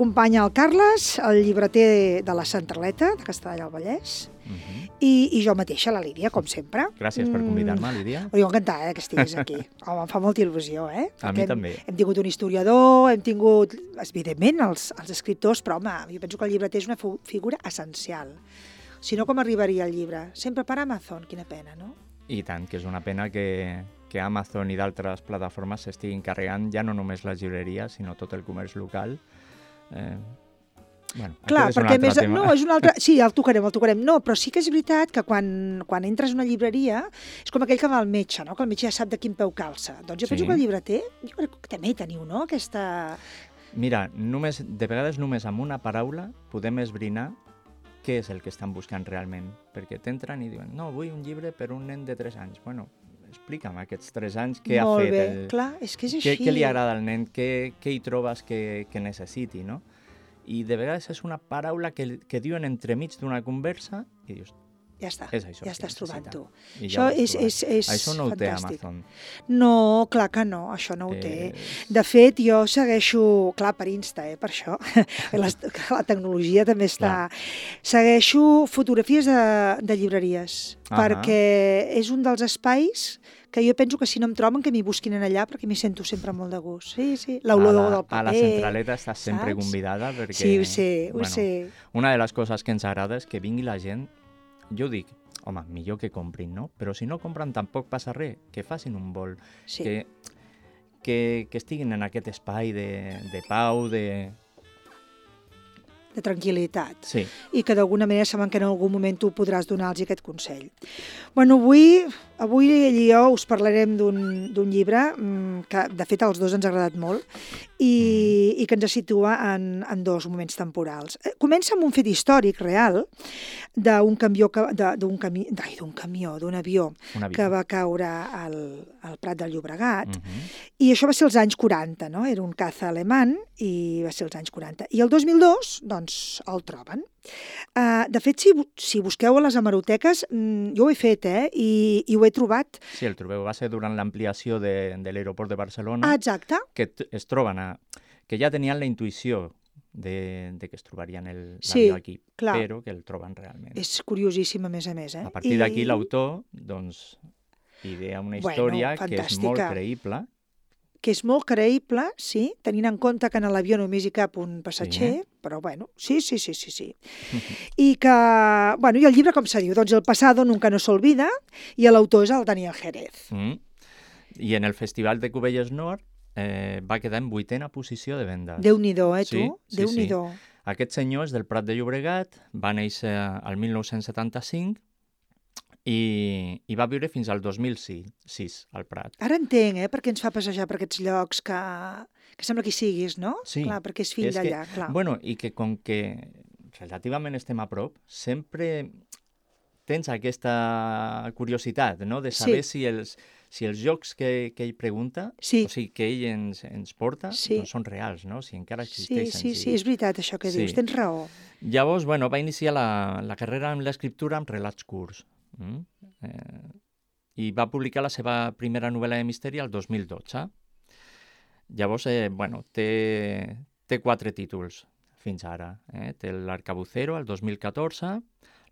m'acompanya el Carles, el llibreter de la Centraleta, de Castellar del Vallès, i jo mateixa, la Lídia, com sempre. Gràcies per convidar-me, Lídia. Jo encantada que estiguis aquí. Home, em fa molta il·lusió, eh? A mi també. Hem tingut un historiador, hem tingut, evidentment, els escriptors, però, home, jo penso que el llibreter és una figura essencial. Si no, com arribaria el llibre? Sempre per Amazon, quina pena, no? I tant, que és una pena que Amazon i d'altres plataformes s'estiguin carregant ja no només les llibreries, sinó tot el comerç local. Bueno, clar, perquè més... tema. No, és un altre... Sí, el tocarem. No, però sí que és veritat que quan entres a una llibreria és com aquell que va al metge, no? Que el metge ja sap de quin peu calça. Doncs jo penso que el llibreter, jo crec que també teniu, no? Aquesta... Mira, de vegades només amb una paraula podem esbrinar què és el que estan buscant realment. Perquè t'entren i diuen, no, vull un llibre per un nen de 3 anys. Bueno, explica'm aquests 3 anys què ha fet. Molt bé, clar, és que és així. Què li agrada al nen, què hi trobes que necessiti, no? I de vegades és una paraula que diuen entremig d'una conversa i dius, ja està, és això ja estàs trobant tu. Això és no ho té fantàstic. Amazon. No, clar que no, això no ho té. De fet, jo segueixo, clar, per Insta, per això, la tecnologia també està... Segueixo fotografies de llibreries, perquè és un dels espais que jo penso que si no em troben que m'hi busquin allà perquè m'hi sento sempre molt de gust. Sí, l'olor del paper. A la Centraleta estàs sempre convidada perquè... Sí, ho sé. Una de les coses que ens agrada és que vingui la gent, jo dic, home, millor que comprin, no? Però si no compren tampoc passa res, que facin un vol, que estiguin en aquest espai de pau, de tranquil·litat. Sí. I que d'alguna manera saben que en algun moment tu podràs donar-los aquest consell. Bueno, avui ell i jo us parlarem d'un llibre que, de fet, als dos ens ha agradat molt i que ens situa en 2 moments temporals. Comença amb un fet històric real d'un avió que va caure al Prat del Llobregat i això va ser als anys 40, no? Era un caza alemany i va ser als anys 40. I el 2002, doncs, el troben. De fet, si busqueu a les hemeroteques, jo ho he fet, i ho he trobat. Sí, el trobeu. Va ser durant l'ampliació de l'aeroport de Barcelona. Exacte. Que es troben que ja tenien la intuïció de que es trobarien l'avió aquí, però que el troben realment. És curiosíssim, a més. A partir d'aquí, l'autor, doncs, idea una història que és molt creïble. Que és molt creïble, sí, tenint en compte que en l'avió només hi cap un passatger, però bueno, sí. I que, bueno, i el llibre com se diu? Doncs El pasado nunca no se olvida, i l'autor és el Daniel Jerez. I en el Festival de Cubelles Nord va quedar en 8ª posició de vendes. Déu-n'hi-do, tu? Sí. Déu-n'hi-do. Aquest senyor és del Prat de Llobregat, va néixer al 1975, i va viure fins al 2006 al Prat. Ara entenc, perquè ens fa passejar per aquests llocs que sembla que hi siguis, no? Sí. Clar, perquè és fill d'allà, clar. Bueno, i que com que relativament estem a prop, sempre tens aquesta curiositat, no?, de saber si els jocs que ell pregunta, o sigui, que ell ens porta, doncs són reals, no?, si encara existeixen. Sí, és veritat això que dius, tens raó. Llavors, bueno, va iniciar la carrera amb l'escriptura amb relats curts. I va publicar la seva primera novel·la de misteri el 2012. Llavors, bueno, té 4 títols fins ara. Té l'Arcabucero, el 2014,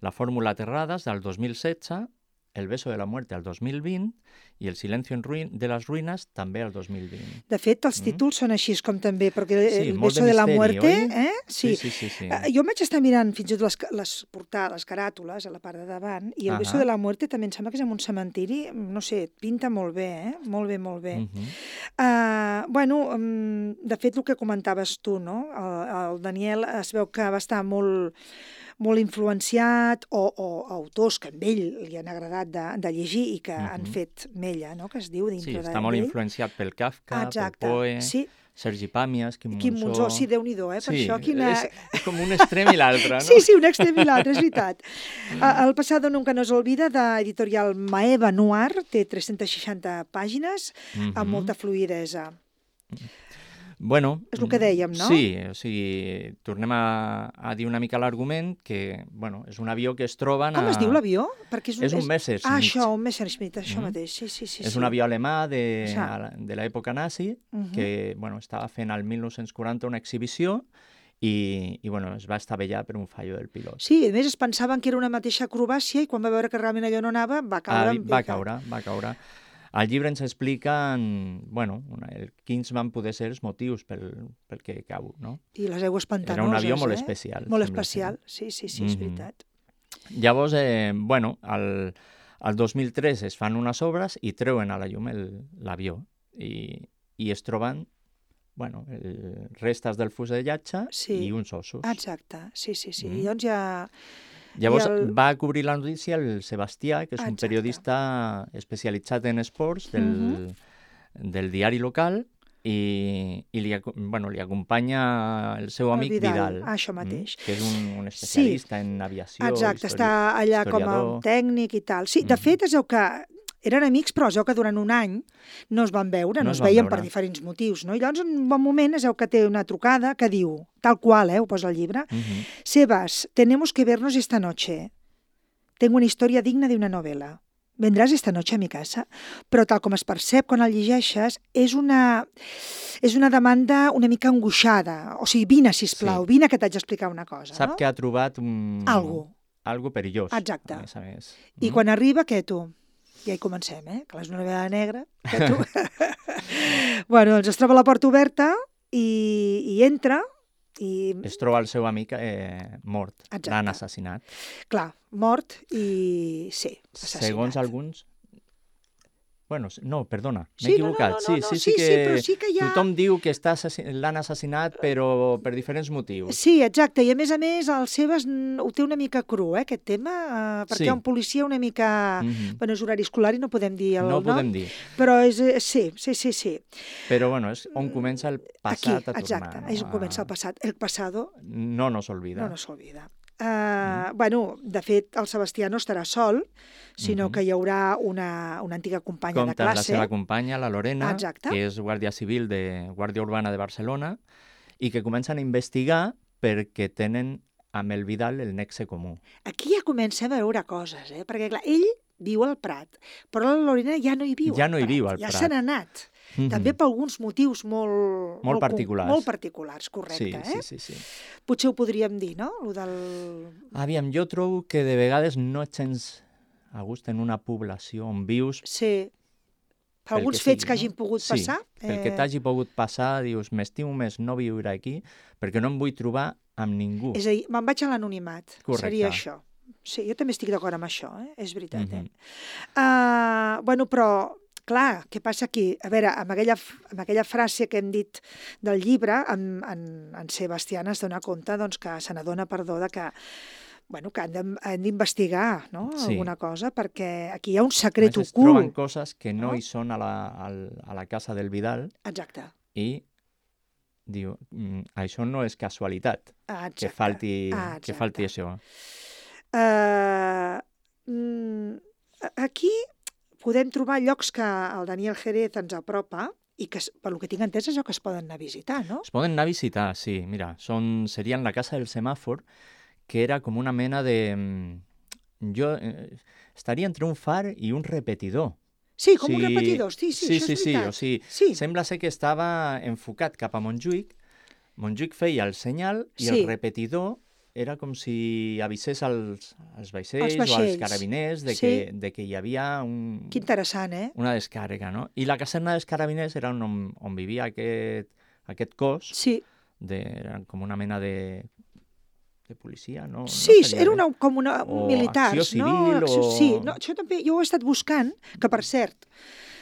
La fórmula Terradas, del 2016, El beso de la muerte, el 2020, i El silencio de las ruinas, també el 2020. De fet, els títols són així com també, perquè El beso de la misteri, muerte... Sí. Jo vaig estar mirant fins i tot les portades, les caràtules, a la part de davant, i El beso de la muerte també em sembla que és en un cementiri, no sé, pinta molt bé, Molt bé. Bueno, de fet, el que comentaves tu, no? El Daniel es veu que va estar molt influenciat, o autors que a ell li han agradat de llegir i que han fet mella, no?, que es diu dintre d'ell. Sí, està molt influenciat pel Kafka, pel Poe, Sergi Pàmies, Quim Monzó... Sí, Déu-n'hi-do, per això quina... És com un extrem i l'altre, no? Sí, un extrem i l'altre, és veritat. El pasado nunca no se olvida, d'editorial Maeva Noir, té 360 pàgines, amb molta fluïdesa. Bueno, és el que dèiem, no? Sí, o sigui, tornem a dir una mica l'argument que, bueno, és un avió que es troben... Com es diu l'avió? És un Messerschmitt. Això, un Messerschmitt, això mateix, sí. És un avió alemà de l'època nazi que, bueno, estava fent al 1940 una exhibició i bueno, es va estavellar per un fallo del pilot. Sí, a més es pensaven que era una mateixa acrobàcia i quan va veure que realment allò no anava, va caure en picat. Va caure. Al llibre ens expliquen, bueno, quins van poder ser els motius pel que cau, no? I les aigües pantanoses, Era un avió molt especial. Molt especial, sí, és veritat. Llavors, bueno, al 2003 es fan unes obres i treuen a la llum l'avió i es troben, bueno, restes del fusellatge i uns ossos. Exacte, sí. I doncs ja... Llavors va cobrir la notícia el Sebastià, que és un periodista especialitzat en esports del diari local, i li acompanya el seu amic Vidal, això mateix. Que és un especialista en aviació, exacte, està allà com a tècnic i tal. Sí, de fet, es veu que eren amics, però es veu que durant un any no es van veure, no es veien per diferents motius, no? I llavors, en un bon moment, es veu que té una trucada que diu, tal qual, ho posa al llibre, Sebas, tenemos que vernos esta noche. Tengo una historia digna de una novela. Vendràs esta noche a mi casa? Però tal com es percep quan el llegeixes, és una demanda una mica angoixada. O sigui, vine, sisplau, vine que t'haig d'explicar una cosa. Sap que ha trobat algo perillós. Exacte. A més. I quan arriba, què tu? Ja hi comencem, que és una novel·la negra. Que tu... bueno, doncs es troba la porta oberta i entra i... Es troba el seu amic mort. L'han assassinat. Clar, mort i sí, assassinat. Segons alguns... Bueno, no, perdona, m'he equivocat. Sí, però sí que hi ha... Tothom diu que l'han assassinat, però per diferents motius. Sí, exacte, i a més, el Sebas ho té una mica cru, aquest tema, perquè un policia una mica... Bueno, és horari escolar i no podem dir el nom. No podem dir. Però sí. Però, bueno, és on comença el passat a tornar. Exacte, és on comença el passat. El passado... No nos olvida. No nos olvida. Bueno, de fet, el Sebastià no estarà sol, sinó que hi haurà una antiga companya de classe. Compta la seva companya, la Lorena, que és guàrdia civil de Guàrdia Urbana de Barcelona, i que comencen a investigar perquè tenen amb el Vidal el nexe comú. Aquí ja comencem a veure coses, perquè clar, ell viu al Prat, però la Lorena ja no hi viu al Prat. Ja se n'ha anat. També per alguns motius molt particulars. Molt particulars, correcte. Sí. Potser ho podríem dir, no? Aviam, jo trobo que de vegades no et sents a gust en una població on vius. Sí. Per alguns fets que hagin pogut passar. Sí, pel que t'hagi pogut passar, dius, m'estimo més no viure aquí perquè no em vull trobar amb ningú. És a dir, me'n vaig a l'anonimat. Correcte. Seria això. Sí, jo també estic d'acord amb això, és veritat. Bueno, però... Clar, què passa aquí? A veure, amb aquella frase que hem dit del llibre, en Sebastià es dona compte que se n'adona, que han d'investigar alguna cosa, perquè aquí hi ha un secret ocult. Es troben coses que no hi són a la casa del Vidal. Exacte. I diu, això no és casualitat, que falti això. Aquí podem trobar llocs que el Daniel Jerez ens apropa i que, per lo que tinc entès, és allò que es poden anar a visitar, no? Es poden anar a visitar, sí. Mira, serien la casa del semàfor, que era com una mena de... estaria entre un far i un repetidor. Sí, com un repetidor, sí, això és veritat. O sigui, sembla ser que estava enfocat cap a Montjuïc. Montjuïc feia el senyal i el repetidor era com si avisés als vaixells o als carabiners de que hi havia Que interessant, una descàrrega, no? I la caserna dels carabiners era on vivia aquest cos. Sí. Era com una mena de policia, no? Sí, era com una militars, acció civil, Sí, això també, jo ho he estat buscant, que per cert,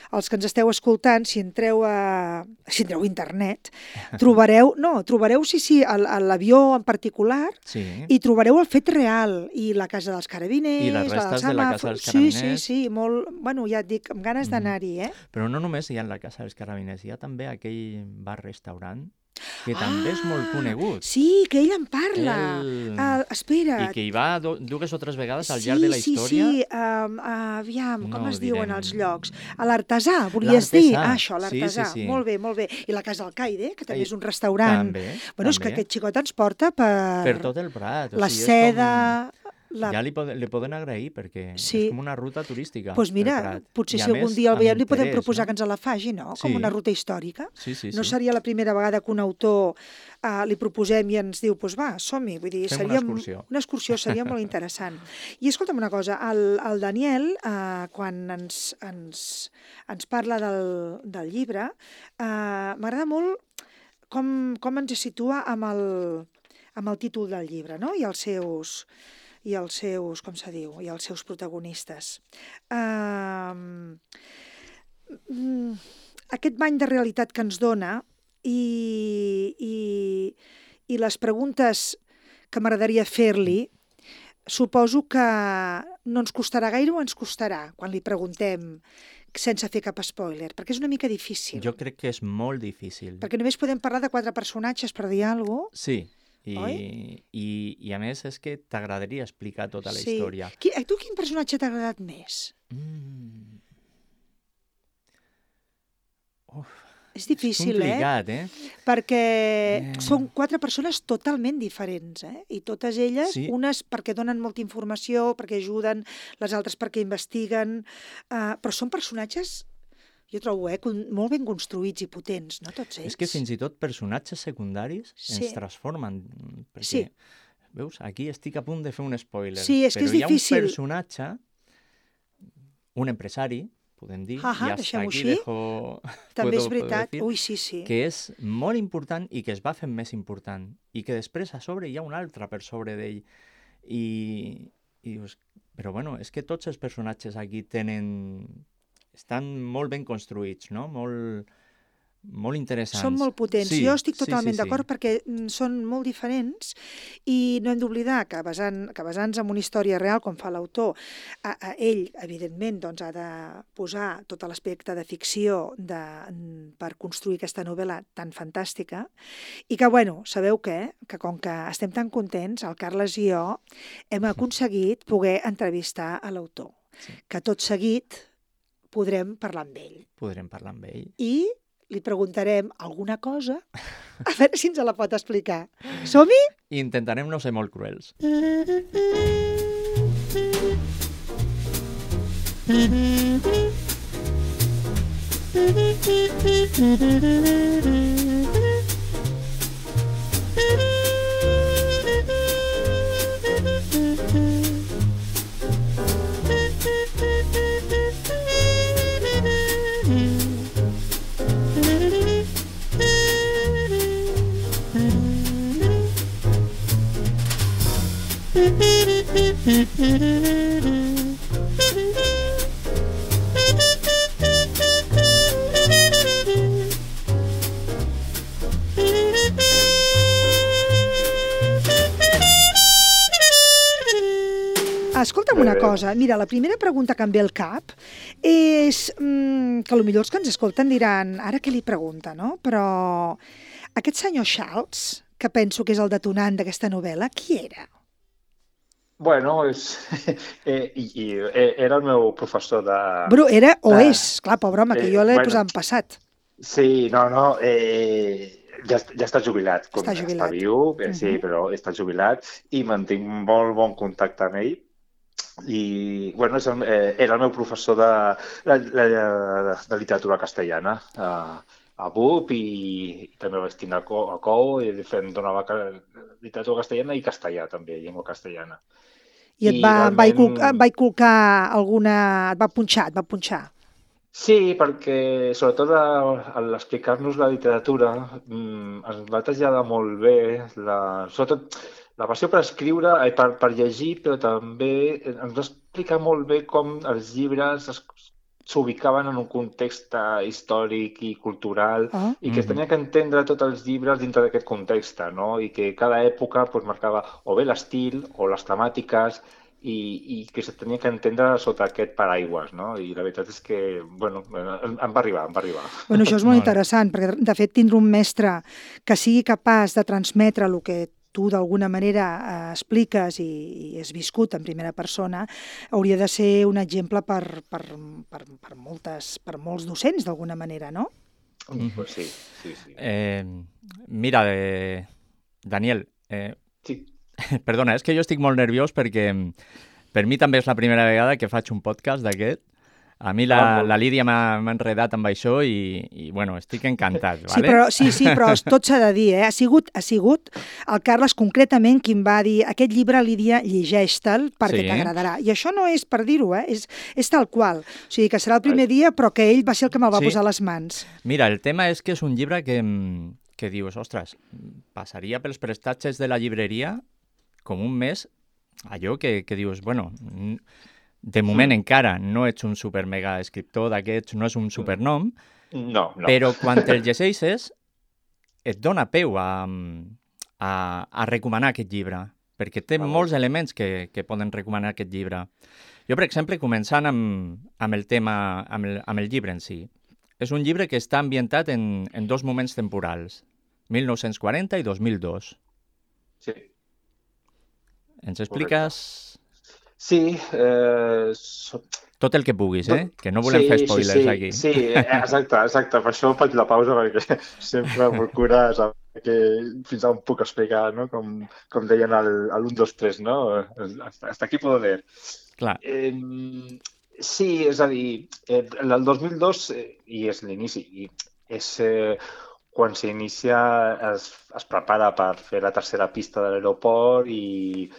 els que ens esteu escoltant, si entreu a internet, trobareu l'avió en particular i trobareu el fet real i la casa dels carabiners, i les restes de la casa dels carabiners. Sí, molt, bueno, ja et dic, amb ganes d'anar-hi, Però no només hi ha la casa dels carabiners, hi ha també aquell bar-restaurant que també és molt conegut. Sí, que ell en parla. Espera't. I que hi va dues o tres vegades al llarg de la història. Sí. Aviam, com es diuen els llocs? A l'Artesà, volies dir? Això, l'Artesà. Sí. Molt bé. I la Casa del Caire, que també és un restaurant. També. Bueno, és que aquest xicot ens porta per... Per tot el Prat. La seda... Ja li poden agrair, perquè és com una ruta turística. Doncs mira, potser si algun dia el veiem li podem proposar que ens la faci, no? Com una ruta històrica. No seria la primera vegada que un autor li proposem i ens diu, doncs va, som-hi. Vull dir, seria una excursió, seria molt interessant. I escolta'm una cosa, el Daniel, quan ens parla del llibre, m'agrada molt com ens situa amb el títol del llibre, no? I els seus, com se diu, i els seus protagonistes. Aquest bany de realitat que ens dona i les preguntes que m'agradaria fer-li, suposo que no ens costarà gaire o ens costarà quan li preguntem sense fer cap spoiler, perquè és una mica difícil. Jo crec que és molt difícil. Perquè només podem parlar de 4 personatges per dir alguna cosa. Sí. I a més és que t'agradaria explicar tota la història. A tu quin personatge t'ha agradat més? És difícil, és complicat, Perquè són 4 persones totalment diferents, I totes elles, unes perquè donen molta informació, perquè ajuden, les altres perquè investiguen, però són personatges, jo trobo, molt ben construïts i potents, no tots ells? És que fins i tot personatges secundaris ens transformen. Perquè, veus, aquí estic a punt de fer un spoiler. Sí, és que és difícil. Però hi ha un personatge, un empresari, podem dir, i hasta aquí dejo... També és veritat, que és molt important i que es va fent més important. I que després a sobre hi ha un altre per sobre d'ell. I dius, però bueno, és que tots els personatges aquí estan molt ben construïts, no? Molt interessants. Són molt potents. Jo estic totalment d'acord perquè són molt diferents i no hem d'oblidar que basant-nos en una història real, com fa l'autor, ell, evidentment, ha de posar tot l'aspecte de ficció per construir aquesta novel·la tan fantàstica i que, bueno, sabeu què? Que com que estem tan contents, el Carles i jo hem aconseguit poder entrevistar a l'autor. Que tot seguit podrem parlar amb ell. I li preguntarem alguna cosa, a veure si ens la pot explicar. Som-hi? Intentarem no ser molt cruels. Escolta'm una cosa, mira, la primera pregunta que em ve al cap és que potser els que ens escolten diran, ara què li pregunta, no? Però aquest senyor Charles, que penso que és el detonant d'aquesta novel·la, qui era? Bueno, era el meu professor de... Però era o és, clar, pobre home, que jo l'he posat en passat. Sí, no, ja està jubilat. Està viu, sí, però està jubilat i mantinc molt bon contacte amb ell. I, bueno, era el meu professor de literatura castellana a BUP i també vaig tenir a COU i donava literatura castellana i castellà també, llengua castellana. I et va inculcar alguna... et va punxar? Sí, perquè sobretot a l'explicar-nos la literatura ens va traslladar molt bé, sobretot la passió per escriure, per llegir, però també ens va explicar molt bé com els llibres s'ubicaven en un context històric i cultural i que es tenia que entendre tots els llibres dintre d'aquest context, no? I que cada època marcava o bé l'estil o les temàtiques i que se tenia que entendre sota aquest paraigües, no? I la veritat és que, bueno, em va arribar. Bueno, això és molt interessant, perquè de fet tindre un mestre que sigui capaç de transmetre el que tu d'alguna manera expliques i has viscut en primera persona, hauria de ser un exemple per molts docents d'alguna manera, no? Sí. Mira, Daniel, Perdona, és que jo estic molt nerviós perquè per mi també és la primera vegada que faig un podcast d'aquest. A mi la Lídia m'ha enredat amb això i bueno, estic encantat. Sí, vale? però tot s'ha de dir, Ha sigut el Carles concretament qui em va dir aquest llibre, Lídia, llegeix-te'l perquè t'agradarà. I això no és per dir-ho, és tal qual. O sigui, que serà el primer dia, però que ell va ser el que me'l va posar a les mans. Mira, el tema és que és un llibre que dius, ostres, passaria pels prestatges de la llibreria com un mes, allò que dius, bueno, de moment encara no ets un super mega escriptor d'aquests, no és un supernom, però quan te'l llegeixes et dona peu a recomanar aquest llibre, perquè té molts elements que poden recomanar aquest llibre. Jo, per exemple, començant amb el tema, amb el llibre en si, és un llibre que està ambientat en dos moments temporals, 1940 i 2002. Sí. Ens expliques... Sí. Tot el que puguis, que no volem fer spoilers aquí. Sí, exacte. Per això faig la pausa, perquè sempre procura saber fins on puc explicar, no? Com deien l'1, 2, 3, no? Hasta aquí puedo leer. Clar. Sí, és a dir, el 2002, i és l'inici, és quan s'inicia, es prepara per fer la tercera pista de l'aeroport i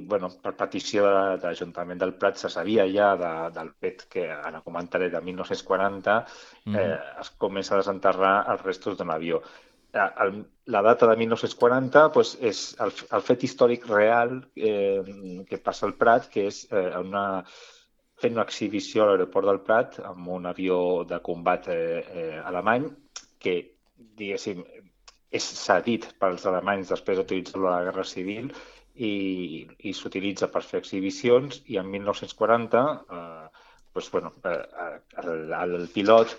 bueno, per petició de l'Ajuntament del Prat se sabia ja del fet que, ara comentaré, de 1940 es comença a desenterrar els restos d'un avió. La data de 1940 doncs, és el fet històric real que passa al Prat, que és fent una exhibició a l'aeroport del Prat amb un avió de combat alemany que, diguéssim, és cedit pels alemanys després d'utilitzar-lo a la Guerra Civil i s'utilitza per fer exhibicions, i en 1940 el pilot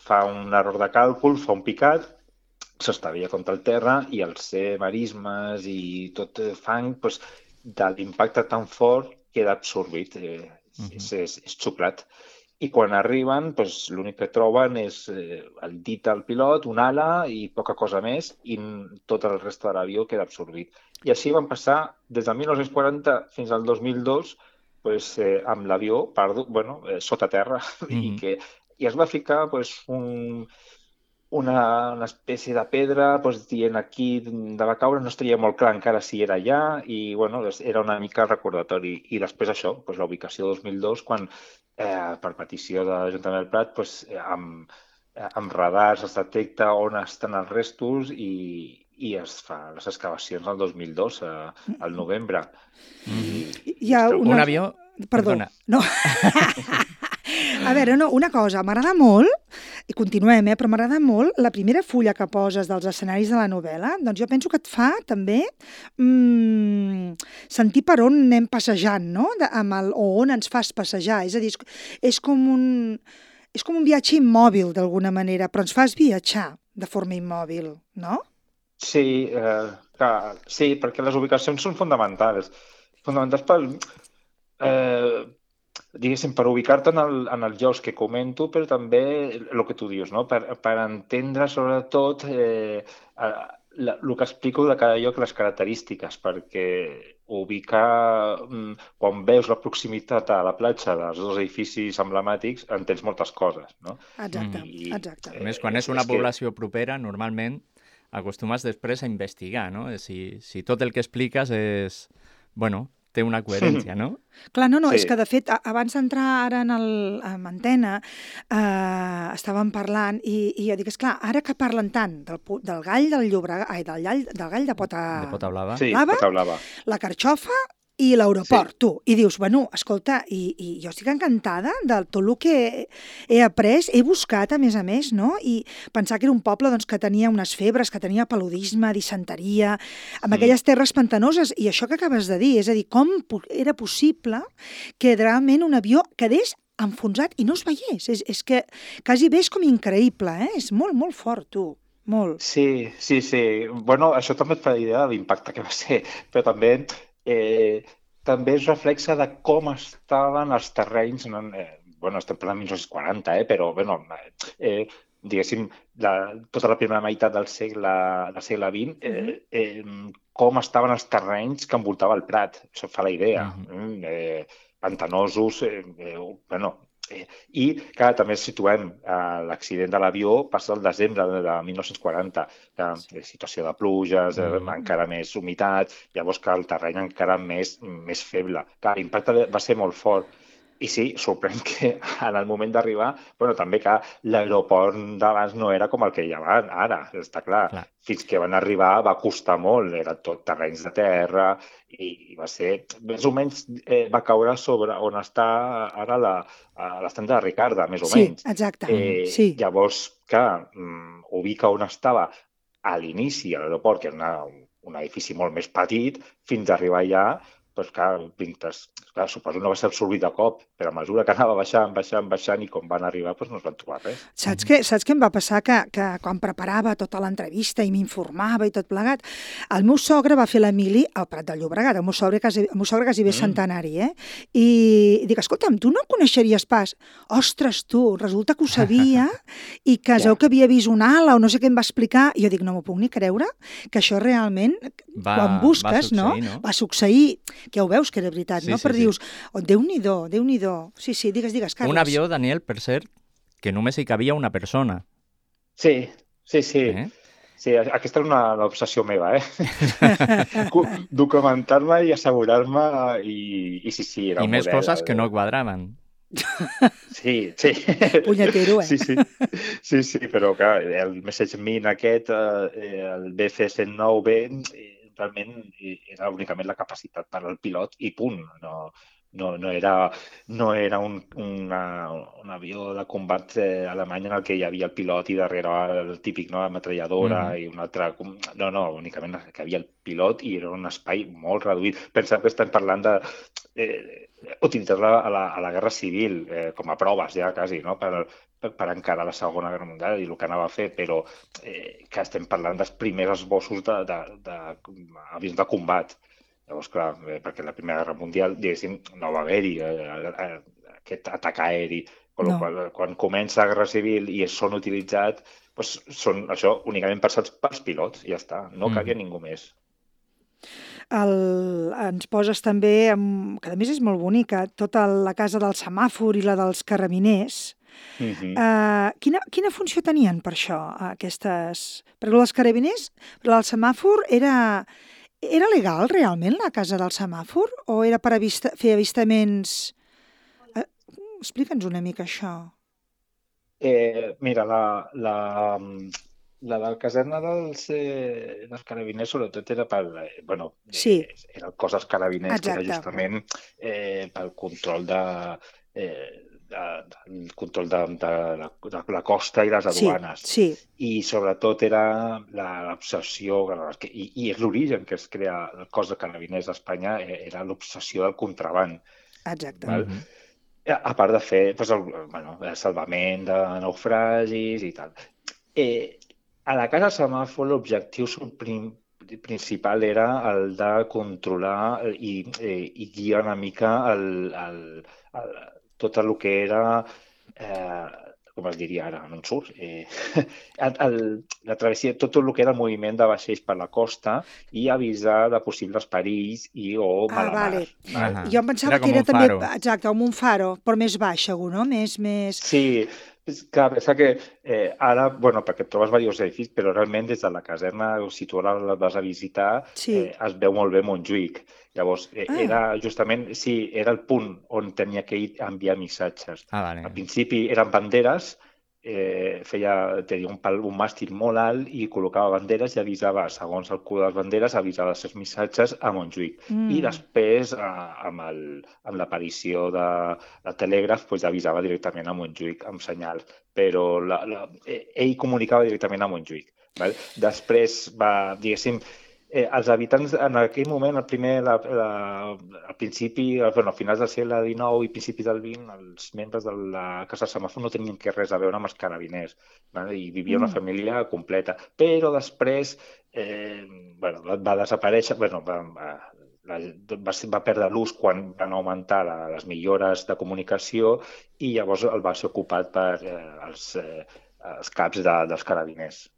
fa un error de càlcul, fa un picat, s'estavella contra el terra i els marismes i tot fang, de l'impacte tan fort queda absorbit, és xuclat. I quan arriben, l'únic que troben és el dit del pilot, una ala i poca cosa més, i tot el reste de l'avió queda absorbit. I així van passar des del 1940 fins al 2002 amb l'avió sota terra, i es va ficar una espècie de pedra dient aquí de va caure, no estaria molt clar encara si era allà, i era una mica recordatori. I després això, la ubicació 2002, quan per petició de l'Ajuntament del Prat, amb radars es detecta on estan els restos i es fa les excavacions el 2002, al novembre. Hi ha un avió... Perdona. No. A veure, una cosa, m'agrada molt, i continuem, però m'agrada molt la primera fulla que poses dels escenaris de la novel·la. Doncs jo penso que et fa també sentir per on anem passejant, no? O on ens fas passejar. És a dir, és com un viatge immòbil, d'alguna manera, però ens fas viatjar de forma immòbil, no? Sí, sí, perquè les ubicacions són fonamentals. Fonamentals diguéssim, per ubicar-te en els llocs que comento, però també el que tu dius, no? Per entendre sobretot el que explico de cada lloc, les característiques, perquè ubicar, quan veus la proximitat a la platja dels dos edificis emblemàtics, entens moltes coses, no? Exacte. A més, quan és una població propera, normalment acostumes després a investigar, no? Si tot el que expliques és, té una coherència, no? Clar, no, és que de fet, abans d'entrar ara en antena, estàvem parlant i jo dic, esclar, ara que parlen tant del gall del Llobregat, del gall de Pota Blava, sí, Pota Blava, la carxofa i l'aeroport, tu. I dius, escolta, i jo estic encantada de tot el que he après, he buscat, a més, no? I pensar que era un poble que tenia unes febres, que tenia paludisme, disenteria, amb aquelles terres pantanoses, i això que acabes de dir, és a dir, com era possible que realment un avió quedés enfonsat i no es veiés? És que quasi bé és com increïble, És molt, molt fort, tu. Molt. Sí. Això també et fa idea de l'impacte que va ser, però també es reflexa de com estaven els terrenys, estem parlant de 1940, però diguéssim, tota la primera meitat del segle XX, com estaven els terrenys que envoltava el Prat. Això fa la idea. Pantanosos, i, clar, també situem l'accident de l'avió passa el desembre de 1940, situació de pluges, encara més humitat, llavors que el terreny encara més feble. Clar, l'impacte va ser molt fort. I sí, sorprèn que en el moment d'arribar, també que l'aeroport d'abans no era com el que hi ha ara, està clar. Fins que van arribar va costar molt, eren tot terrenys de terra i va ser, més o menys va caure sobre on està ara l'estand de Ricarda, més o menys. Sí, exacte. Llavors, clar, ubica on estava a l'inici a l'aeroport, que era un edifici molt més petit, fins a arribar allà, clar, suposo no va ser absorbit de cop, però a mesura que anava baixant i com van arribar no es van trobar res. Saps què em va passar? Que quan preparava tota l'entrevista i m'informava i tot plegat, el meu sogre va fer l'Emili al Prat de Llobregat, el meu sogre quasi bé centenari, i dic, escolta'm, tu no coneixeries pas? Ostres, tu, resulta que ho sabia i que es veu que havia vist un ala o no sé què em va explicar, i jo dic, no m'ho puc ni creure, que això realment, quan busques, va succeir, que ja ho veus que era veritat, no? Però dius, Déu-n'hi-do, Déu-n'hi-do. Sí, digues, Carles. Un avió, Daniel, per cert, que només hi cabia una persona. Sí. Sí, aquesta és una obsessió meva, documentar-me i assegurar-me i sí, era un model. I més coses que no quadraven. Sí. Punyetero, Sí, però clar, el MessageMin aquest, el BC-109B, realment era únicament la capacitat per al pilot i punt. No era un avió de combat alemany en el que hi havia el pilot i darrere el típic, la metralladora i un altre... No, únicament que havia el pilot i era un espai molt reduït. Pensem que estem parlant de utilitzar-la a la Guerra Civil com a proves ja quasi, no? Per encarar la Segona Guerra Mundial i el que anava a fer, però que estem parlant dels primers esbossos d'avions de combat. Llavors, clar, perquè la Primera Guerra Mundial, diguéssim, no va haver-hi aquest atac aeri. Quan comença la Guerra Civil i són utilitzats, són això únicament pensats pels pilots, i ja està, no cabia ningú més. Ens poses també, que a més és molt bonica, tota la casa del semàfor i la dels carabiners. Quina funció tenien per això, aquestes? Perquè els carabiners, però el semàfor era legal realment, la casa del semàfor? O era per fer avistaments? Explica'ns una mica això. Mira, la de la caserna dels carabiners sobretot era era el cos dels carabiners, que era justament pel control de la costa i les aduanes. I sobretot era l'obsessió, i és l'origen que es crea el cos de carabiners d'Espanya, era l'obsessió del contraban. Exacte. A part de fer el salvament de naufragis i tal. A la casa semàfor l'objectiu principal era el de controlar i guiar una mica tot el que era, com es diria ara, no en surt, la travessia, tot el que era el moviment de vaixells per la costa i avisar de possibles perills o mala mar. Jo em pensava que era també, exacte, com un faro, però més baix, segur, no? Sí, clar, pensa que ara, perquè et trobes diversos edificis, però realment des de la caserna, si tu ara la vas a visitar, es veu molt bé Montjuïc. Llavors, era justament, era el punt on tenia que ir a enviar missatges. Al principi eren banderes, tenia un màstil molt alt i col·locava banderes i avisava, segons el color de les banderes, avisava els seus missatges a Montjuïc. I després, amb l'aparició de telègraf, avisava directament a Montjuïc amb senyals. Però ell comunicava directament a Montjuïc. Després diguéssim, els habitants en aquell moment, al principi, a finals del segle XIX i principis del XX, els membres de la casa semàfor no tenien res a veure amb els carabiners, i vivia una família completa. Però després va desaparèixer, va perdre l'ús quan van augmentar les millores de comunicació i llavors el va ser ocupat per els caps dels carabiners.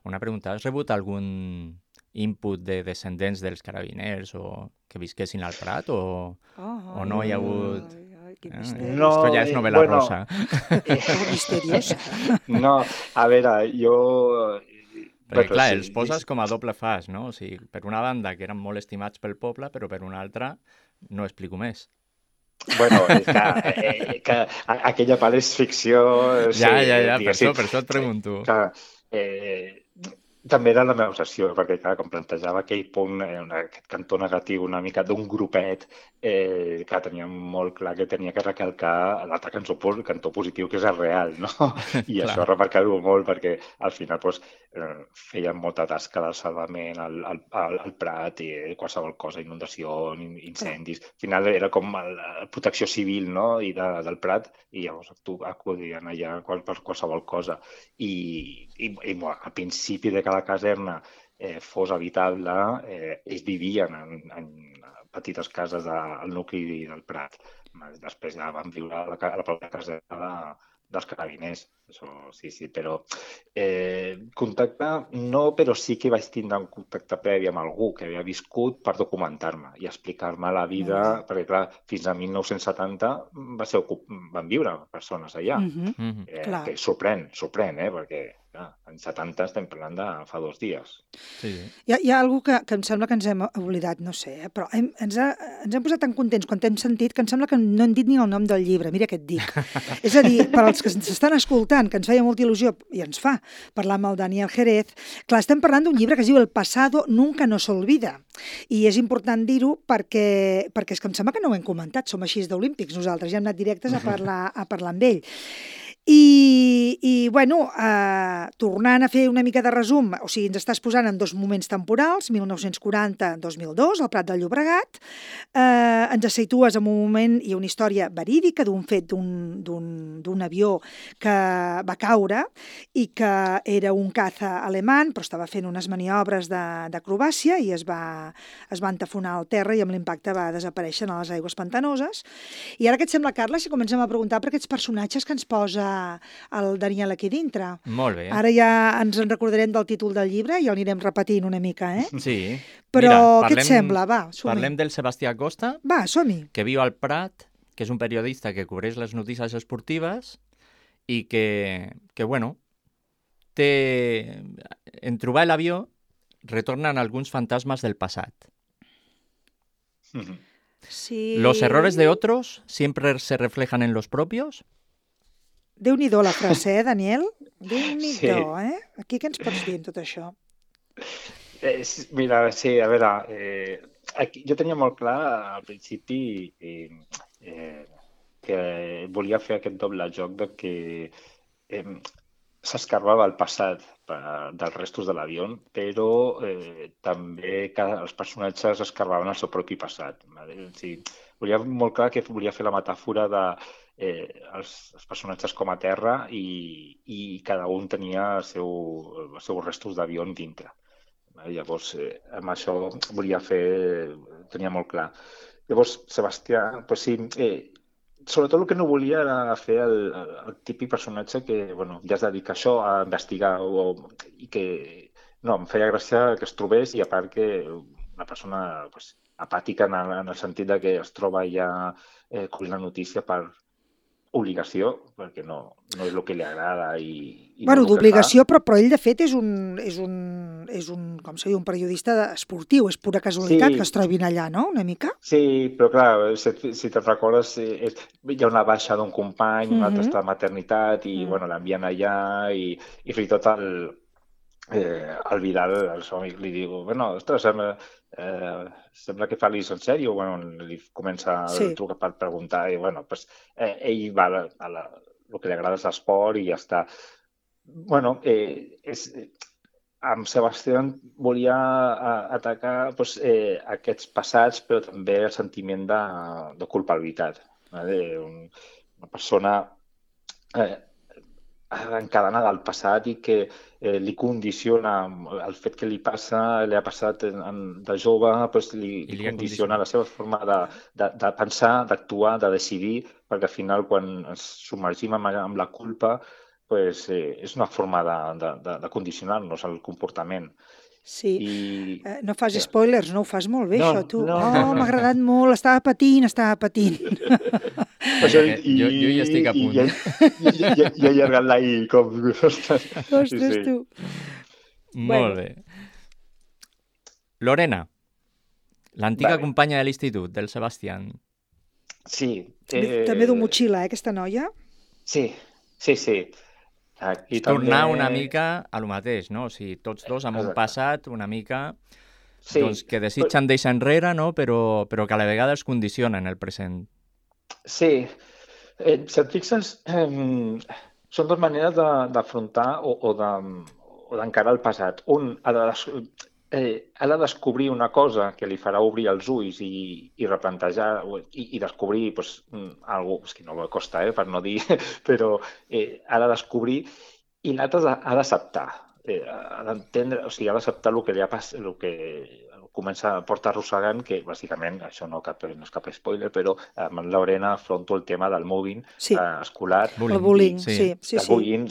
Una pregunta, has rebut algun input de descendents dels carabiners o que visquessin al Prat o no hi ha hagut... Quin misteri. No, Esto ja és novel·la rosa. Misteriosa. No, a veure, jo... Perquè, clar, els poses com a doble fas, no? O sigui, per una banda, que eren molt estimats pel poble, però per una altra, no explico més. Bueno, que aquella part és ficció... Ja, per això et pregunto. Clar, també era la meva obsessió, perquè, clar, com plantejava aquell punt, aquest cantó negatiu una mica d'un grupet, que tenia molt clar que tenia que recalcar l'altre cantó positiu, que és el real, no? I això remarcar-ho molt, perquè al final feien molta tasca de salvament al Prat, i qualsevol cosa, inundació, incendis. Al final era com la protecció civil, no?, i del Prat, i llavors acudien allà per qualsevol cosa. I al principi de que la caserna fos habitable, ells vivien en petites cases al nucli del Prat. Després ja van viure a la pròpia caserna dels carabiners. Això, sí, però contacte no, però sí que vaig tindre un contacte previ amb algú que havia viscut per documentar-me i explicar-me la vida, perquè clar, fins a 1970 van viure persones allà, que sorprèn, perquè clar, en 70 estem parlant de fa 2 dies. Sí. Hi ha alguna cosa que em sembla que ens hem oblidat, no sé, però ens hem posat tan contents quan t'hem sentit que em sembla que no hem dit ni el nom del llibre, mira què et dic. És a dir, per als que ens estan escoltant, que ens feia molta il·lusió, i ens fa, parlar amb el Daniel Jerez, clar, estem parlant d'un llibre que es diu El pasado nunca nos olvida. I és important dir-ho perquè és que em sembla que no ho hem comentat, som així d'olímpics nosaltres, ja hem anat directes a parlar amb ell. I bueno, tornant a fer una mica de resum, o sigui, ens estàs posant en 2 moments temporals, 1940-2002, al Prat de Llobregat, ens situes en un moment i una història verídica d'un fet d'un avió que va caure i que era un caza alemany, però estava fent unes maniobres d'acrobàcia i es va entafonar al terra i amb l'impacte va desaparèixer a les aigües pantanoses. I ara què et sembla, Carles, si comencem a preguntar per aquests personatges que ens posa el Daniel aquí dintre? Molt bé. Ara ja ens en recordarem del títol del llibre i el anirem repetint una mica, Sí. Però què et sembla? Va, som-hi. Parlem del Sebastià Costa, Va, som-hi. que viu al Prat, que és un periodista que cobreix les notícies esportives i que bueno, en trobar l'avió retornen alguns fantasmes del passat. Sí. Los errores de otros siempre se reflejan en los propios. Déu-n'hi-do la frase, Daniel? Déu-n'hi-do, Aquí què ens pots dir amb tot això? Mira, sí, a veure, aquí, jo tenia molt clar al principi que volia fer aquest doble joc de que s'escarbava el passat dels restos de l'avió, però també que els personatges escarbaven el seu propi passat. Sí, volia molt clar que volia fer la metàfora de els personatges com a terra i cada un tenia els seus restos d'avió dintre. Llavors, amb això tenia molt clar. Llavors, Sebastià, doncs sí, sobretot el que no volia era fer el típic personatge que ja es dedica a això, a investigar, i que no, em feia gràcia que es trobés, i a part que una persona apàtica en el sentit de que es troba ja cobrint la notícia per obligació, perquè no és el que li agrada. Bueno, d'obligació, però ell de fet és un com se diu, un periodista esportiu, és pura casualitat que es trobin allà, no?, una mica? Sí, però clar, si te'n recordes, hi ha una baixa d'un company, un altre està de maternitat, i l'envien allà, i fins i tot el Vidal, el seu amic, li diu, ostres, sembla que fa l'Is en sèrio, li comença a trucar per preguntar, i ell va a el que li agrada és l'esport i ja està. Amb Sebastià volia atacar aquests passats, però també el sentiment de culpabilitat. Una persona encadenada al passat i que li condiciona el fet que li ha passat de jove, li condiciona la seva forma de pensar, d'actuar, de decidir, perquè al final quan ens submergim amb la culpa és una forma de condicionar-nos el comportament. Sí. I... No fas spoilers, no ho fas molt bé, No, això, tu. no. M'ha agradat molt, estava patint. Això, Jo hi estic a punt. I allargant-la i com... Ostres, tu. Molt bé. Lorena, l'antiga Vale. companya de l'institut, del Sebastián. Sí. També du motxilla, aquesta noia? Sí. Aquí Tornar també... una mica a lo mateix, no? O sigui, tots dos amb un Exacte. passat una mica Sí. doncs, que desitgen deixar enrere, no? Però que a la vegada es condicionen el present. Sí. Si et fixes, són dues maneres d'afrontar o d'encarar el passat. Un ha de descobrir una cosa que li farà obrir els ulls i replantejar i descobrir alguna cosa que no costa, per no dir, però ha de descobrir, i l'altre ha d'acceptar. Ha d'entendre, o sigui, ha d'acceptar el que li ha passat, el que porta arrossegant, que bàsicament, això no és cap spoiler, però amb la Lorena afronto el tema del mobbing escolar. El bullying, sí. El bullying,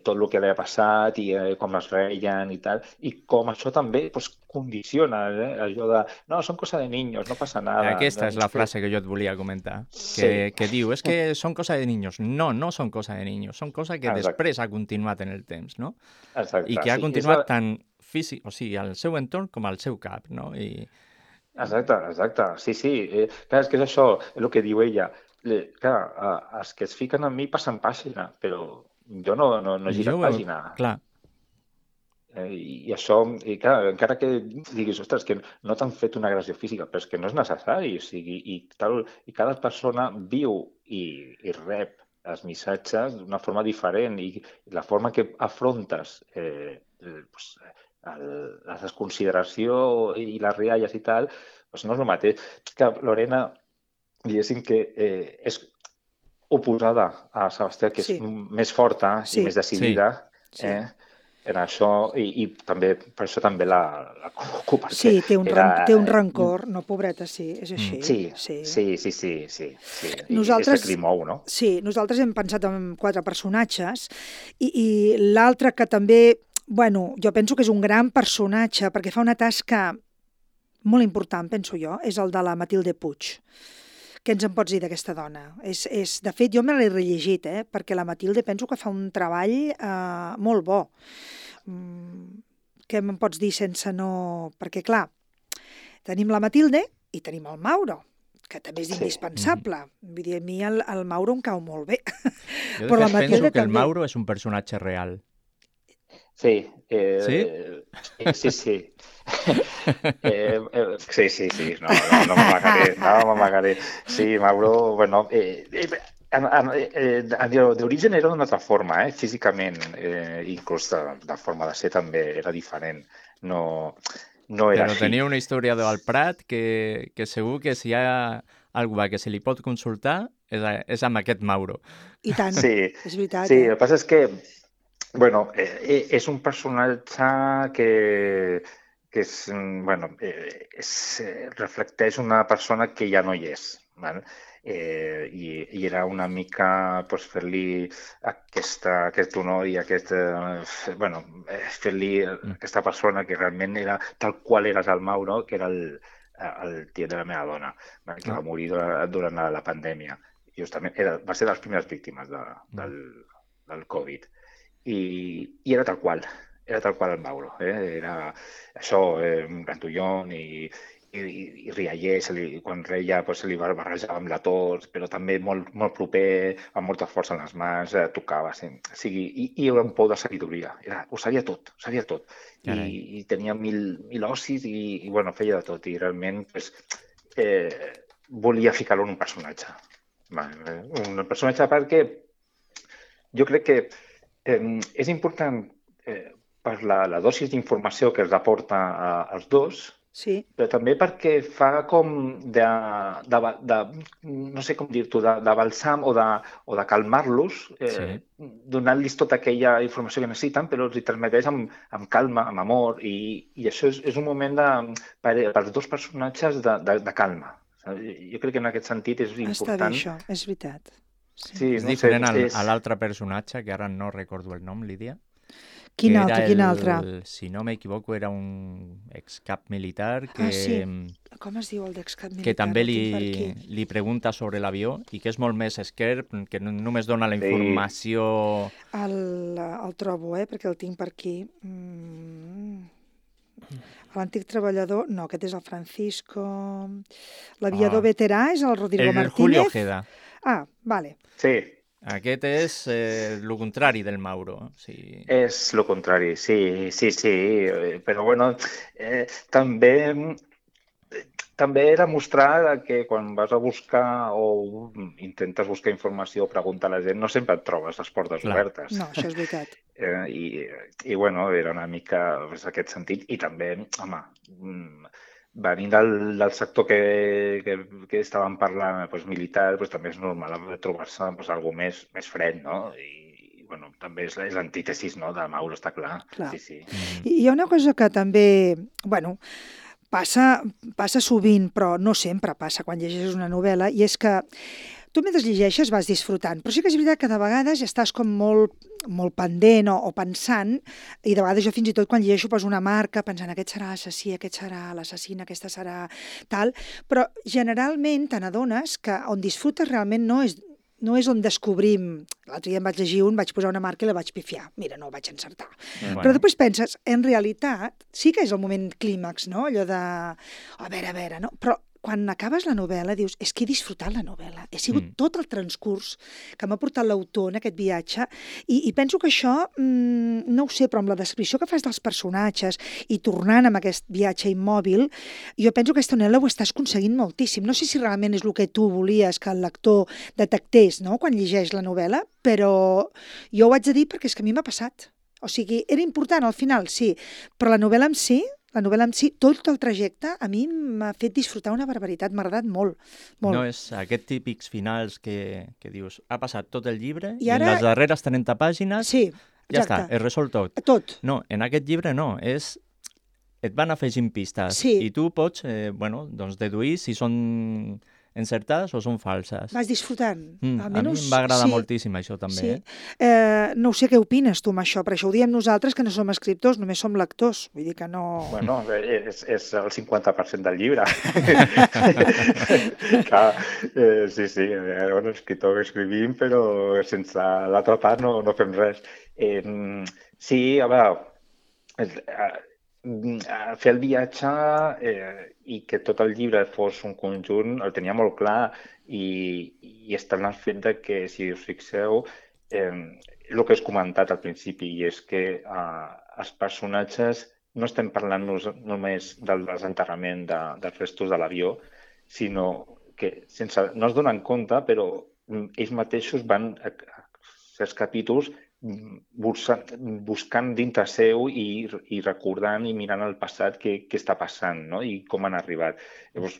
tot el que li ha passat i com es reien i tal, i com això també condiciona, allò de, no, són cosa de niños, no passa nada. Aquesta és la frase que jo et volia comentar, que diu, és que són cosa de niños. No, no són cosa de niños, són cosa que després ha continuat en el temps, no? Exacte. I que ha continuat tant físic, o sigui, al seu entorn com al seu cap, no? Exacte. Sí. Clar, és que és això, és el que diu ella. Clar, els que es fiquen en mi passen pàgina, però jo no giro pàgina. Clar. I això, clar, encara que diguis, ostres, que no t'han fet una agressió física, però és que no és necessari, o sigui, i cada persona viu i rep els missatges d'una forma diferent, i la forma que afrontes la desconsideració i les rialles i tal, no és el mateix. Que Lorena, diguéssim que és oposada a Sebastià, que és més forta i més decidida en això, i també per això també la col·loco. Sí, té un rancor, no, pobreta, sí, és així. Sí. Nosaltres, és el que li mou, no? Sí, nosaltres hem pensat en 4 personatges, i l'altre que també, bueno, jo penso que és un gran personatge perquè fa una tasca molt important, penso jo, és el de la Matilde Puig. Què ens en pots dir d'aquesta dona? De fet, jo me l'he rellegit, perquè la Matilde penso que fa un treball molt bo. Què me'n pots dir sense no... Perquè, clar, tenim la Matilde i tenim el Mauro, que també és indispensable. Vull dir, a mi el Mauro em cau molt bé. Jo, de fet, penso que el Mauro és un personatge real. Sí. Sí? Sí. Sí. No m'amagaré. Sí, Mauro, bueno... d'origen era d'una altra forma, físicament, inclús de forma de ser també era diferent. No era Però així. tenia una història del Prat que segur que si hi ha algú que se li pot consultar és amb aquest Mauro. I tant, és veritat. Sí, el que passa és que bueno, és un personatge que reflecteix una persona que ja no hi és, val? I era una mica fer-li aquest honor i fer-li aquesta persona que realment era tal qual eres el Mauro, que era el tiet de la meva dona, que va morir durant la pandèmia. Justament va ser de les primeres víctimes del Covid. I era tal qual el Mauro. Era això, un gantullón i rialler, quan reia se li barrejava amb la tos, però també molt, molt proper, amb molta força en les mans, tocava. I era un pou de sabidoria. Ho sabia tot. I tenia mil ocis i feia de tot. I realment volia ficar-lo en un personatge. Un personatge perquè jo crec que és important per la dosis d'informació que els aporta als dos, però també perquè fa com no sé com dir-t'ho, de balsam o de calmar-los, donant-los tota aquella informació que necessiten, però els hi transmeteix amb calma, amb amor, i això és un moment per als dos personatges de calma. Jo crec que en aquest sentit és important. Està bé això, és veritat. És diferent a l'altre personatge, que ara no recordo el nom, Lídia. Quin altre? Si no m'equivoco, era un excap militar que... sí. Com es diu el d'excap militar? Que també li pregunta sobre l'avió i que és molt més esquerp, que només dona la informació... El trobo, perquè el tinc per aquí. L'antic treballador... No, aquest és el Francisco... L'aviador veterà és el Rodrigo Martínez. El Julio Ojeda. Ah, vale. Sí. Aquest és el contrari del Mauro. Sí. És el contrari, sí. Però bueno, també era mostrar que quan vas a buscar o intentes buscar informació o preguntar a la gent, no sempre et trobes les portes obertes. No, això és veritat. I bueno, era una mica en aquest sentit. I també, home, venint del sector que estàvem parlant, militar, també és normal trobar-se alguna més fred, no? I bueno, també és l'antítesis, no, de Mauro, està clar. Sí. I hi ha una cosa que també, bueno, passa sovint, però no sempre passa quan llegeixes una novel·la, i és que tu mentre llegeixes vas disfrutant, però sí que és veritat que de vegades estàs com molt pendent o pensant, i de vegades jo fins i tot quan llegeixo poso una marca pensant aquest serà l'assassí, aquest serà l'assassina, aquesta serà tal, però generalment te n'adones que on disfrutes realment no és on descobrim. L'altre dia em vaig llegir vaig posar una marca i la vaig pifiar. Mira, no ho vaig encertar. Però després penses, en realitat, sí que és el moment clímax, no? Allò de, a veure, no? Però quan acabes la novel·la dius, és que he disfrutat la novel·la. He sigut tot el transcurs que m'ha portat l'autor en aquest viatge i penso que això, no ho sé, però amb la descripció que fas dels personatges i tornant amb aquest viatge immòbil, jo penso que aquesta novel·la ho estàs aconseguint moltíssim. No sé si realment és el que tu volies que el lector detectés, no?, quan llegeix la novel·la, però jo ho haig de dir perquè és que a mi m'ha passat. O sigui, era important al final, sí, però la novel·la en si, tot el trajecte, a mi m'ha fet disfrutar una barbaritat, m'ha agradat molt. No és aquests típics finals que dius, ha passat tot el llibre i en les darreres 30 pàgines ja està, és resolt tot. Tot. No, en aquest llibre no, et van afegint pistes i tu pots deduir si són encertades o són falses. Vas disfrutant. A mi em va agradar moltíssim això també. No sé què opines tu amb això, però això ho diem nosaltres que no som escriptors, només som lectors. Vull dir que no... Bueno, és el 50% del llibre. Clar, sí, un escriptor que escrivim, però sense l'altra part no fem res. Sí, a veure, fer el viatge i que tot el llibre fos un conjunt el tenia molt clar i està en el fet que, si us fixeu, el que has comentat al principi, i és que els personatges no estem parlant només del desenterrament dels restos de l'avió, sinó que no es donen compte, però ells mateixos van a certs capítols buscant dintre seu i recordant i mirant el passat què està passant, no? I com han arribat. Llavors,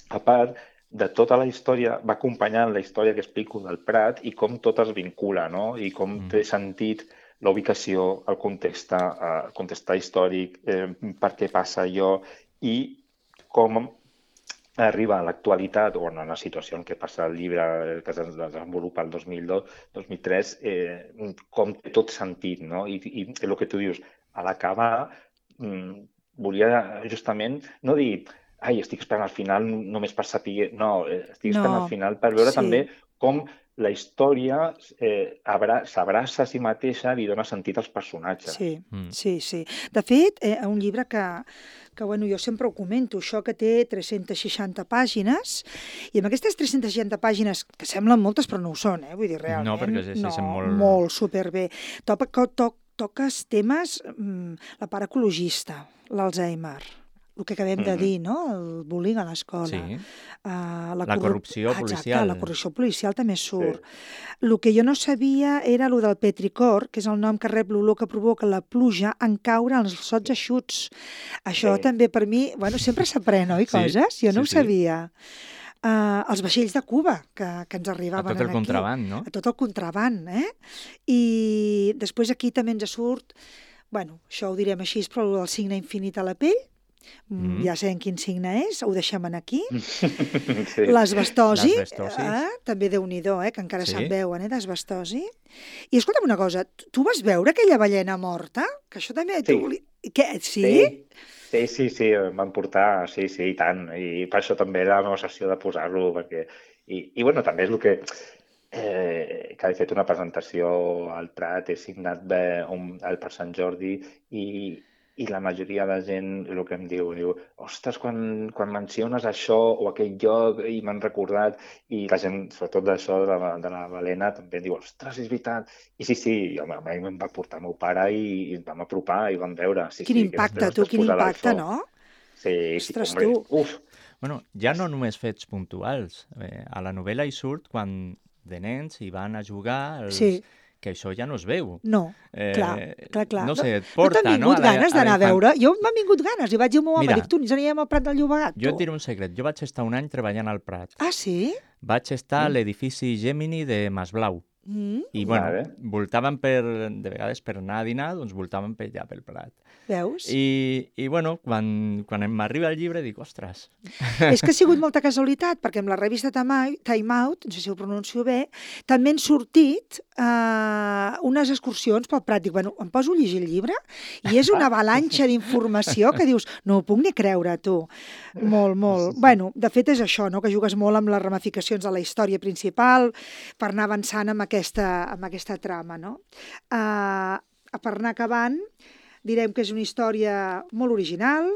a part de tota la història, va acompanyant la història que explico del Prat i com tot es vincula, no? I com té sentit la ubicació, el context històric, per què passa allò i com arriba a l'actualitat o en la situació en què passa el llibre que es desenvolupa el 2002-2003, com té tot sentit, no? I el que tu dius, a l'acabar, volia justament no dir estic esperant al final només per saber... No, estic esperant al final per veure també com la història s'abraça a si mateixa, li dona sentit als personatges. Sí. De fet, un llibre que jo sempre ho comento, això que té 360 pàgines, i amb aquestes 360 pàgines, que semblen moltes però no ho són, vull dir, realment. No, perquè es deixen molt superbé. Toques temes, la part ecologista, l'Alzheimer, el que acabem de dir, no? El bullying a l'escola. La corrupció policial. Exacte, la corrupció policial també surt. El que jo no sabia era el del petricor, que és el nom que rep l'olor que provoca la pluja en caure als sots eixuts. Això també per mi, sempre s'aprèn, oi, coses? Jo no ho sabia. Els vaixells de Cuba que ens arribaven aquí. A tot el contraband, no? A tot el contraband, I després aquí també ens surt, això ho direm així, però el signe infinit a la pell, ja sabem quin signe és, ho deixem aquí. Sí. L'asbestosi, L'asbestosi. també Déu-n'hi-do, que encara Sí. se'n veuen, d'asbestosi. I escolta'm una cosa, tu vas veure aquella ballena morta? Que això també... Sí. Què? Sí? Sí, em van portar, sí, i tant. I per això també era la meva sessió de posar-lo, perquè... I bueno, també és el que he fet una presentació al Prat, he signat per Sant Jordi i la majoria de gent el que em diu, ostres, quan menciones això o aquell lloc i m'han recordat, i la gent, sobretot d'això de la balena, també em diu, ostres, és veritat. I sí, home, a mi em va portar el meu pare i ens vam apropar i vam veure. Quin impacte, tu, quin impacte, no? Sí, Ostres, hombre, tu. uf. Bueno, ja no només fets puntuals. A la novel·la hi surt quan de nens hi van a jugar, que això ja no es veu. No, clar. No sé, et porta, no? No t'han vingut ganes d'anar a veure? Jo m'han vingut ganes i vaig dir al meu home, dic, tu, ens anirem al Prat del Llobregat, tu. Jo et diré un secret, jo vaig estar un any treballant al Prat. Ah, sí? Vaig estar a l'edifici Gemini de Masblau. I, bueno, voltàvem de vegades per anar a dinar, doncs voltàvem per allà pel Prat. Veus? I bueno, quan m'arriba el llibre dic, ostres. És que ha sigut molta casualitat, perquè amb la revista Time Out, no sé si ho pronuncio bé, també han sortit unes excursions pel Prat. Dic, bueno, em poso a llegir el llibre i és una avalanxa d'informació que dius, no ho puc ni creure, tu. Molt. Bueno, de fet és això, no?, que jugues molt amb les ramificacions de la història principal per anar avançant amb aquesta trama, no? Per anar acabant, direm que és una història molt original.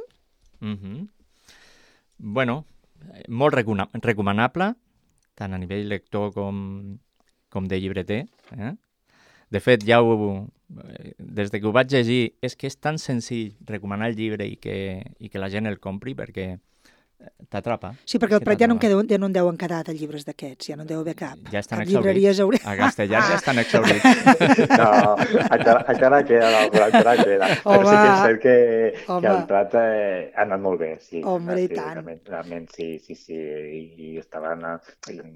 Bueno, molt recomanable, tant a nivell lector com de llibreter. De fet, des que ho vaig llegir, és que és tan senzill recomanar el llibre i que la gent el compri, perquè t'atrapa. Sí, perquè al Prat ja no en deuen quedar de llibres d'aquests, ja no en deu haver cap. Ja estan exhaurits. A Castellar ja estan exhaurits. No, encara queda, encara queda. Però sí que és cert que el Prat ha anat molt bé. Sí, home, i tant. Realment, sí. I estaven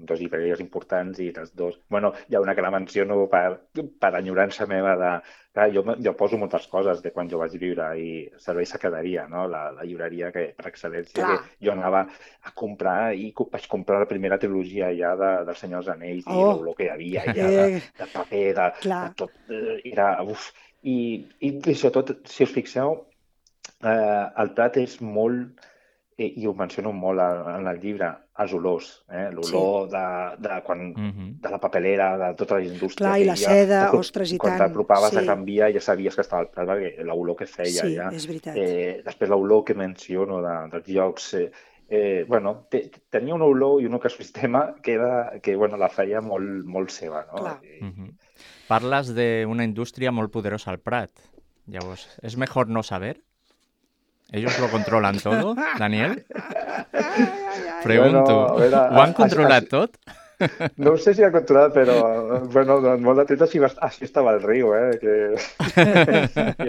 dos llibreries importants i les dos... Bueno, hi ha una que la menciono per enyorança meva de... Clar, jo poso moltes coses de quan jo vaig viure i Servei Secretaria, no? La llibreria que per excel·lència que jo anava a comprar i vaig comprar la primera trilogia ja del Senyor dels Anells i l'olor que hi havia ja de paper, de tot, era... Uf. I sobretot, si us fixeu, el Prat és molt, i ho menciono molt en el llibre, els olors, l'olor de la papelera, de tota la indústria. Clar, i la seda, ostres, i tant. Quan t'apropaves a Can Via ja sabies que estava al Prat, perquè l'olor que feia. Sí, és veritat. Després l'olor que menciono dels llocs, bueno, tenia una olor i un ecosistema que la feia molt seva, no? Clar. Parles d'una indústria molt poderosa al Prat. Llavors, ¿es mejor no saber? ¿Ellos lo controlan todo, Daniel? Pregunto. Bueno, ¿Ho han controlat tot? No sé si ha controlat, però bueno, molt de temps així estava el riu, que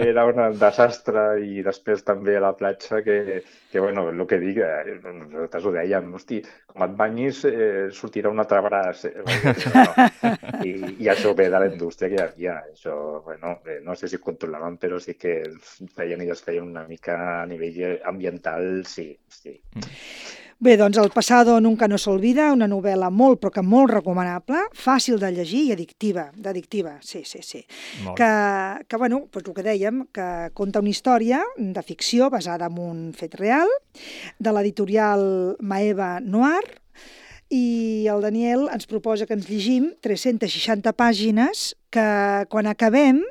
era un desastre, i després també a la platja que bueno, el que dic, nosaltres ho dèiem, hosti, com et banyis sortirà un altre braç. I això ve de la indústria que hi havia. Això, bueno, no sé si ho controlaven, però sí que ells feien una mica a nivell ambiental, sí. Bé, doncs El pasado nunca no se olvida, una novel·la molt, però que molt recomanable, fàcil de llegir i addictiva, sí. Que bueno, doncs el que dèiem, que conta una història de ficció basada en un fet real, de l'editorial Maeva Noir, i el Daniel ens proposa que ens llegim 360 pàgines que quan acabem...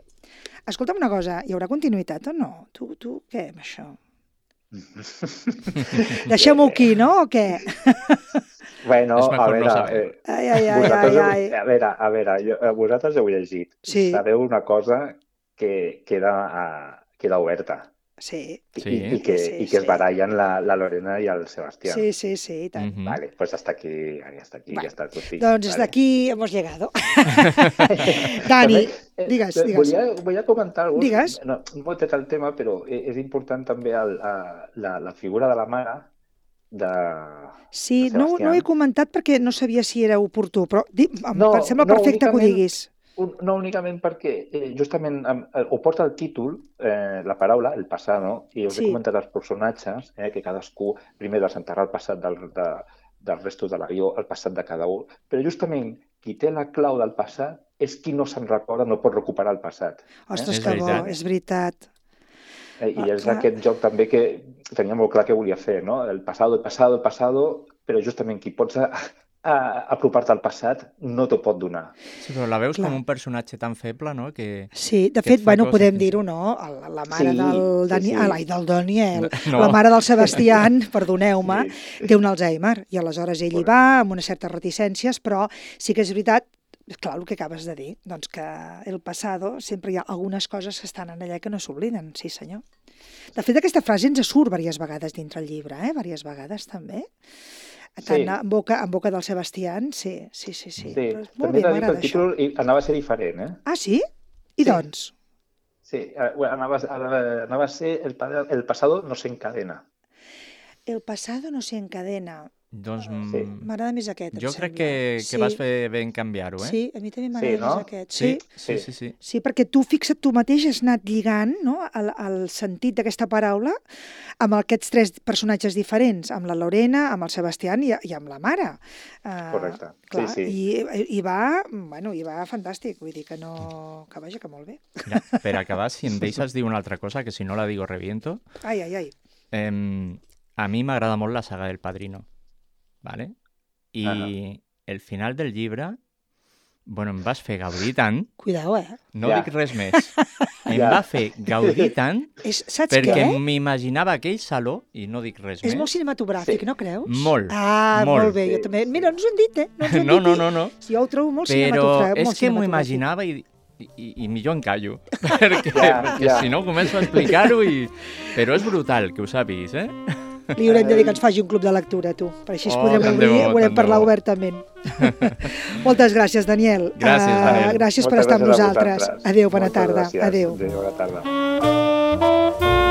Escolta'm una cosa, hi haurà continuïtat o no? Tu què amb això? Deixem-ho aquí, no? O què? Bueno, a veure... A veure, vosaltres heu llegit. Sí. Sabeu una cosa que queda oberta. Sí. I que es barallen la Lorena i el Sebastián. Sí, i tant. Vale, pues hasta aquí ya está tot dit. Doncs hasta aquí hemos llegado. Dani, digues. Voy a comentar algo. Digues. No he tret el tema, però és important també la figura de la mare de... Sí, no ho he comentat perquè no sabia si era oportú, però em sembla perfecte que ho diguis. No únicament perquè justament ho porta el títol, la paraula, el passado, i us he comentat els personatges, que cadascú primer desenterrar el passat del resto de l'avió, el passat de cada un, però justament qui té la clau del passat és qui no se'n recorda, no pot recuperar el passat. Ostres, que bo, és veritat. I és aquest joc també que tenia molt clar que volia fer, no? El passado, però justament qui pots apropar-te al passat no t'ho pot donar. Sí, però la veus com un personatge tan feble, no? Sí, de fet, podem dir-ho, no? La mare del Daniel, la mare del Sebastián, perdoneu-me, té un Alzheimer, i aleshores ell hi va amb unes certes reticències, però sí que és veritat, clar, el que acabes de dir, doncs que el passado sempre hi ha algunes coses que estan en allà que no s'obliden, sí senyor. De fet, aquesta frase ens surt diverses vegades dintre el llibre, diverses vegades també. Tant en boca del Sebastián, sí. També he de dir que el títol anava a ser diferent, Ah, sí? I doncs? Sí, anava a ser El pasado no se encadena. El pasado no se encadena. Doncs m'agrada més aquest, jo crec que vas fer bé en canviar-ho, Sí, a mi també m'agrada més aquest. Sí. Sí, perquè tu fixa't, tu mateix has anat lligant, no?, el sentit d'aquesta paraula amb aquests 3 personatges diferents, amb la Lorena, amb el Sebastián i amb la mare. Correcte, clar, sí. I va fantàstic, vull dir que no... que vaja, que molt bé. Mira, per acabar, si em deixes dir una altra cosa, que si no la digo reviento. Ai. A mi m'agrada molt la saga del Padrino. ¿Vale? I el final del llibre, em vas fer gaudir tant... Cuidao, No dic res més. Em va fer gaudir tant perquè m'imaginava aquell saló, i no dic res més. És molt cinematogràfic, no creus? Molt. Molt bé, jo també. Mira, no ens ho han dit, No. Jo ho trobo molt cinematogràfic. Però és que m'ho imaginava i millor em callo. perquè si no començo a explicar-ho Però és brutal, que ho sàpiguis, Li haurem de dir que ens faci un club de lectura, tu. Per així podrem obrir, parlar obertament. Moltes gràcies, Daniel. Gràcies, Daniel. Gràcies per estar amb nosaltres. Adéu, bona tarda. Adéu, bona tarda.